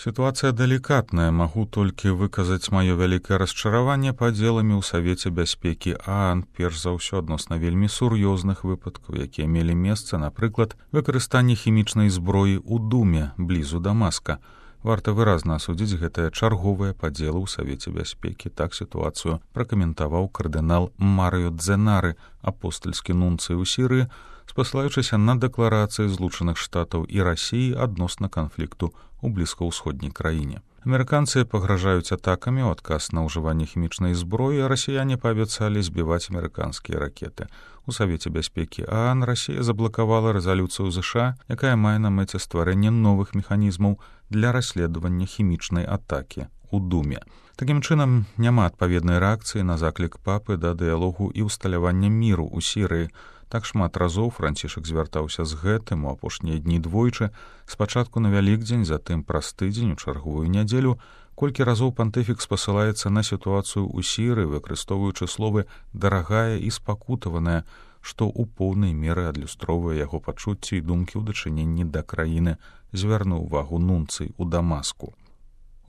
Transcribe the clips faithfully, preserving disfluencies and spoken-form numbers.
Сітуацыя далікатная, магу толькі выказаць маё вялікае расчараванне падзеламі ў Савеце бяспекі ААН, перш за ўсё адносна вельмі сур'ёзных выпадкаў, якія мелі месца, напрыклад, выкарыстанне хімічнай зброі ў Думе, блізу Дамаска. Варта выразна асудзіць гэтыя чарговыя падзелы ў Савеце бяспекі. Так сітуацыю пракаментаваў кардынал Марыё Дзенары, апостальскі нунцый у Сірыі, спасылаючыся на дэкларацыі Злучаных Штатаў і Расіі адносна канфлікту у блізкаўсходняй краіне. Амерыканцы пагражаюць атакамі ў адказ на ўжыванне хімічнай зброі, а расіяне паабяцалі збіваць амерыканскія ракеты. У Савеце бяспекі ААН Расія заблакавала рэзалюцыю ЗША, якая мае на мэце стварэнне новых механізмаў для расследавання хімічнай атакі ў Думе. Такім чынам, няма адпаведнай рэакцыі на заклік папы да дыялогу і ўсталявання міру ў Сірыі. Так шмат разоў Францішак звяртаўся з гэтым у апошнія дні двойчы, спачатку на Вялікдзень, затым праз тыдзень у чарговую нядзелю. Колькі разоў пантыфік спасылаецца на сітуацыю ў Сірыі, выкарыстоўваючы словы «дарагая» і «спакутаваная», што ў поўнай меры адлюстроўвае яго пачуцці і думкі ў дачыненні да краіны, звярнуў увагу нунцый у Дамаску.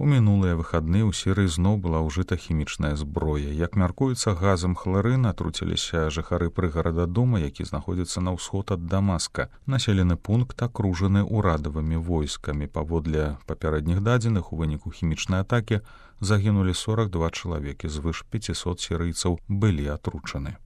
У мінулыя выхадныя ў Сірыі зноў была ўжыта хімічная зброя. Як мяркуецца, газам хларын атруціліся жыхары прыгарада Дума, які знаходзіцца на ўсход ад Дамаска. Населены пункт акружаны ўрадавымі войскамі. Паводле папярэдніх дадзеных, у выніку хімічнай атакі загінулі сорак два чалавекі, звыш пяцісот сірыйцаў былі атручаны.